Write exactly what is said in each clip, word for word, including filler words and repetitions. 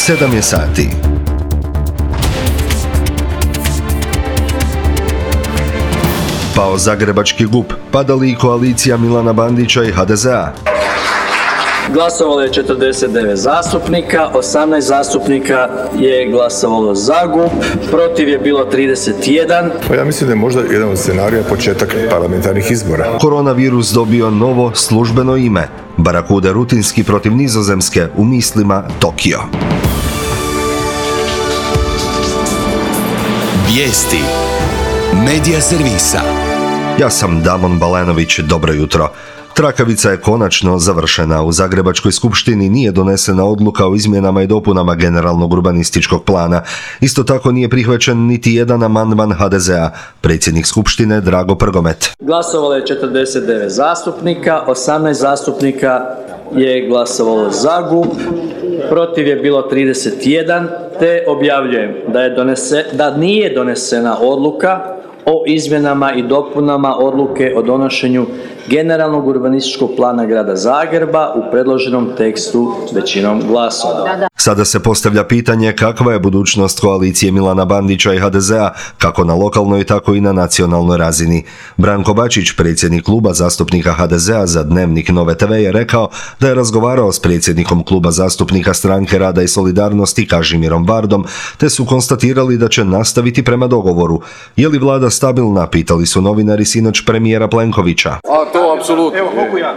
sedam je sati. Pao zagrebački G U P, padali i koalicija Milana Bandića i H D Z A. Glasovalo je četrdeset devet zastupnika, osamnaest zastupnika je glasovalo za G U P, protiv je bilo trideset jedan. Pa ja mislim da je možda jedan od scenarija početak parlamentarnih izbora. Koronavirus dobio novo službeno ime. Barakuda rutinski protiv Nizozemske, u mislima Tokio. Vijesti Medija servisa. Ja sam Damon Balenović, dobro jutro. Trakavica je konačno završena. U Zagrebačkoj skupštini nije donesena odluka o izmjenama i dopunama generalnog urbanističkog plana. Isto tako nije prihvaćen niti jedan amandman H D Z A. Predsjednik skupštine Drago Prgomet. Glasovalo je četrdeset devet zastupnika, osamnaest zastupnika je glasovalo za G U P, protiv je bilo trideset jedan, te objavljujem da, je donese, da nije donesena odluka o izmjenama i dopunama odluke o donošenju generalnog urbanističkog plana grada Zagreba u predloženom tekstu većinom glasova. Sada se postavlja pitanje kakva je budućnost koalicije Milana Bandića i H D Z A, kako na lokalnoj, tako i na nacionalnoj razini. Branko Bačić, predsjednik kluba zastupnika H D Z A za Dnevnik Nove te ve, je rekao da je razgovarao s predsjednikom kluba zastupnika Stranke rada i solidarnosti Kažimirom Vardom, te su konstatirali da će nastaviti prema dogovoru. Je li vlada stabilna, pitali su novinari sinoć premijera Plenkovića. A to apsolutno.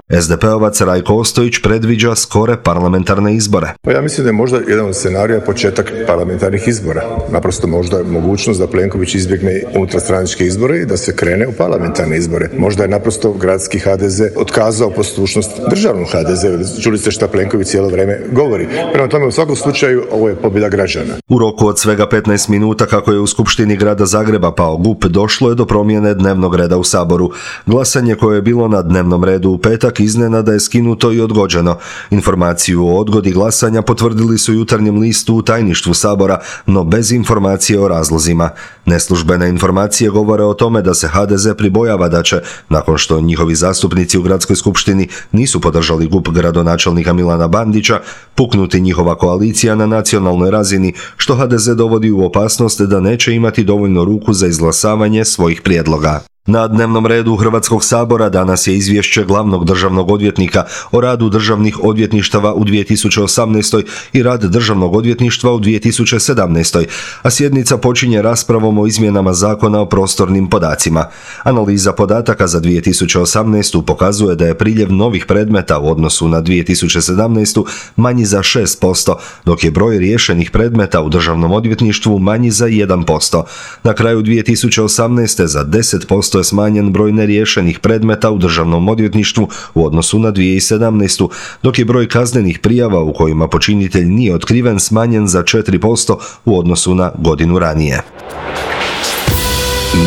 es de pe ovac Rajko Ostojić predviđa skore parlamentarne izbore. Pa ja mislim da je možda jedan od scenarija početak parlamentarnih izbora. Naprosto možda je mogućnost da Plenković izbjegne unutarstranačke izbore i da se krene u parlamentarne izbore. Možda je naprosto gradski H D Z otkazao poslušnost državnom H D Z. Čuli ste šta Plenković cijelo vrijeme govori. Prema tome, u svakom slučaju ovo je pobjeda građana. U roku od svega petnaest minuta kako je u Skupštini grada Zagreba pao G U P, došlo je do promjene dnevnog reda u Saboru. Glasanje koje je bilo na dnevnom redu u petak iznenada je skinuto i odgođeno. Informaciju o odgodi glasanja potvrdili su Jutarnjem listu u tajništvu Sabora, no bez informacije o razlozima. Neslužbene informacije govore o tome da se H D Z pribojava da će, nakon što njihovi zastupnici u gradskoj skupštini nisu podržali G U P gradonačelnika Milana Bandića, puknuti njihova koalicija na nacionalnoj razini, što H D Z dovodi u opasnost da neće imati dovoljno ruku za izglasavanje svojih prijedloga. Na dnevnom redu Hrvatskog sabora danas je izvješće glavnog državnog odvjetnika o radu državnih odvjetništava u dvije tisuće osamnaestoj i rad državnog odvjetništva u dvije tisuće sedamnaestoj, a sjednica počinje raspravom o izmjenama zakona o prostornim podacima. Analiza podataka za dvije tisuće osamnaestu pokazuje da je priljev novih predmeta u odnosu na dvije tisuće sedamnaestu manji za šest posto, dok je broj riješenih predmeta u državnom odvjetništvu manji za jedan posto. Na kraju dvije tisuće osamnaeste za deset posto je smanjen broj neriješenih predmeta u državnom odvjetništvu u odnosu na dvije tisuće sedamnaestu, dok je broj kaznenih prijava u kojima počinitelj nije otkriven smanjen za četiri posto u odnosu na godinu ranije.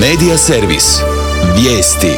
Medija servis. Vijesti.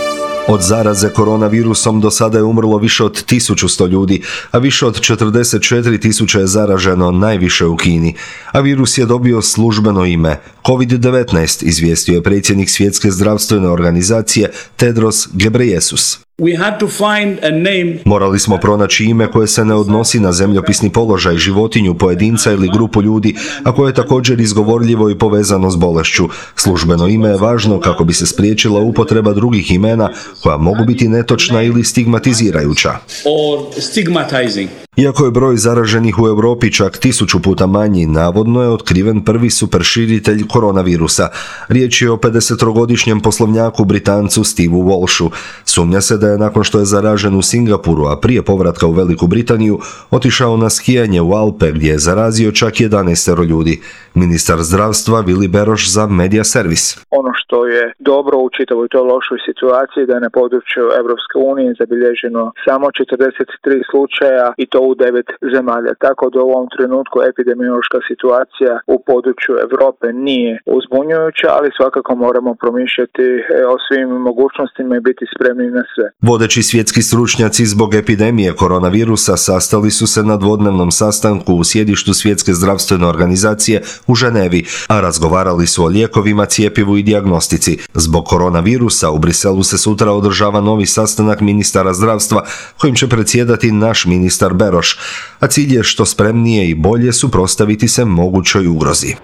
Od zaraze koronavirusom do sada je umrlo više od tisuću sto ljudi, a više od četrdeset četiri tisuće je zaraženo, najviše u Kini. A virus je dobio službeno ime kovid devetnaest, izvijestio je predsjednik Svjetske zdravstvene organizacije Tedros Ghebreyesus. We had to find a name. Morali smo pronaći ime koje se ne odnosi na zemljopisni položaj, životinju, pojedinca ili grupu ljudi, a koje je također izgovorljivo i povezano s bolešću. Službeno ime je važno kako bi se spriječila upotreba drugih imena koja mogu biti netočna ili stigmatizirajuća. Or stigmatizing. Iako je broj zaraženih u Europi čak tisuću puta manji, navodno je otkriven prvi superširitelj koronavirusa. Riječ je o pedesetogodišnjem poslovnjaku Britancu Steveu Walshu. Sumnja se da je nakon što je zaražen u Singapuru, a prije povratka u Veliku Britaniju, otišao na skijanje u Alpe gdje je zarazio čak jedanaest ljudi. Ministar zdravstva Vili Beroš za Medija servis. Ono što je dobro u čitavoj toj lošoj situaciji da je na području Europske unije zabilježeno samo četrdeset tri slučaja i to u devet zemalja. Tako da u ovom trenutku epidemiološka situacija u području Europe nije uzbunjujuća, ali svakako moramo promišljati o svim mogućnostima i biti spremni na sve. Vodeći svjetski stručnjaci zbog epidemije koronavirusa sastali su se na dvodnevnom sastanku u sjedištu Svjetske zdravstvene organizacije u Ženevi, a razgovarali su o lijekovima, cjepivu i dijagnostici. Zbog koronavirusa u Briselu se sutra održava novi sastanak ministara zdravstva kojim će predsjedati naš ministar Beroš, a cilj je što spremnije i bolje suprotstaviti se mogućoj ugrozi.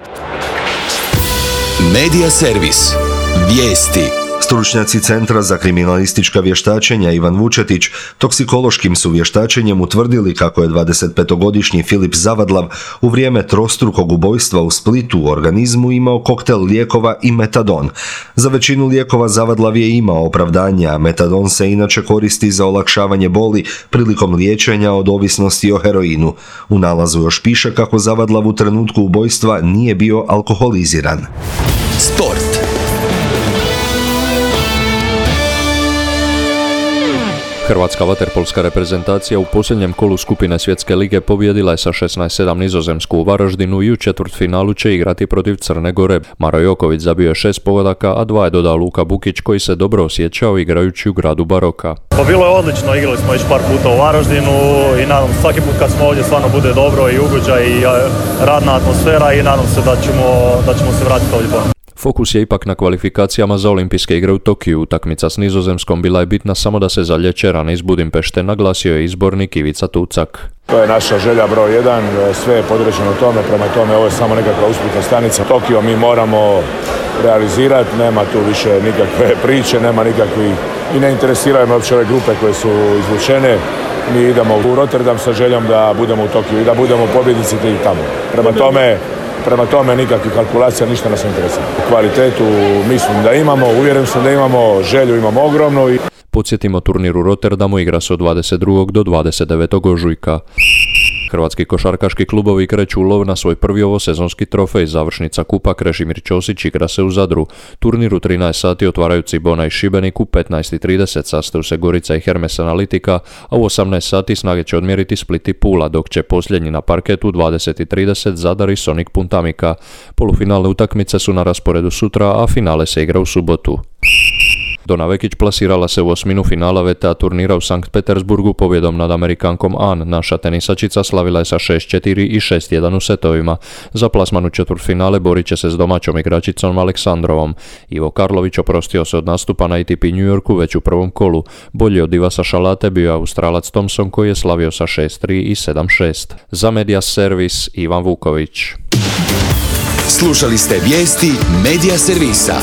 Medija servis. Vijesti. Stručnjaci Centra za kriminalistička vještačenja Ivan Vučetić toksikološkim su vještačenjem utvrdili kako je dvadesetpetogodišnji Filip Zavadlav u vrijeme trostrukog ubojstva u Splitu u organizmu imao koktel lijekova i metadon. Za većinu lijekova Zavadlav je imao opravdanja, a metadon se inače koristi za olakšavanje boli prilikom liječenja od ovisnosti o heroinu. U nalazu još piše kako Zavadlav u trenutku ubojstva nije bio alkoholiziran. Sport. Hrvatska vaterpolska reprezentacija u posljednjem kolu skupine Svjetske lige pobijedila je sa šesnaest sedam Nizozemsku u Varaždinu i u četvrtfinalu će igrati protiv Crne Gore. Maro Joković zabio je šest pogodaka, a dva je dodao Luka Bukić koji se dobro osjećao igrajući u gradu baroka. Pa bilo je odlično, igrali smo već par puta u Varaždinu i nadam se svaki put kad smo ovdje stvarno bude dobro i ugođaj i radna atmosfera i nadam se da ćemo, da ćemo se vratiti ovdje ponovno. Fokus je ipak na kvalifikacijama za olimpijske igre u Tokiju. Utakmica s Nizozemskom bila je bitna samo da se zalječe rane iz Budimpešte, naglasio je izbornik Ivica Tucak. To je naša želja broj jedan, sve je podređeno tome, prema tome ovo je samo nekakva usputna stanica. Tokio mi moramo realizirati, nema tu više nikakve priče, nema nikakvih i ne interesiraju me uopće ove grupe koje su izvučene. Mi idemo u Rotterdam sa željom da budemo u Tokiju i da budemo pobjednici i tamo. Prema tome, Prema tome nikakvih kalkulacija, ništa nas ne interesira. Kvalitetu mislim da imamo, uvjeren sam da imamo, želju imamo ogromnu. I... Podsjetimo, turnir u Rotterdamu igra se od dvadeset drugog do dvadeset devetog ožujka. Hrvatski košarkaški klubovi kreću u lov na svoj prvi ovosezonski trofej. Završnica kupa Krešimir Ćosić igra se u Zadru. Turnir u trinaest sati otvaraju Cibona i Šibenik, u petnaest i trideset sastaju se Gorica i Hermes Analitika, a u osamnaest sati snage će odmjeriti Split i Pula, dok će posljednji na parketu u dvadeset i trideset Zadar i Sonic Puntamika. Polufinalne utakmice su na rasporedu sutra, a finale se igra u subotu. Dona Vekić plasirala se u osminu finala V T A turnira u Sankt Petersburgu pobjedom nad Amerikankom An. Naša tenisačica slavila je sa šest četiri i šest jedan u setovima. Za plasman u četvrtfinale borit će se s domaćom igračicom Aleksandrovom. Ivo Karlović oprostio se od nastupa na A T P New Yorku već u prvom kolu. Bolji od Divasa Šalate bio je Australac Thompson koji je slavio sa šest tri i sedam šest. Za Medija servis Ivan Vuković. Slušali ste vijesti Medija servisa.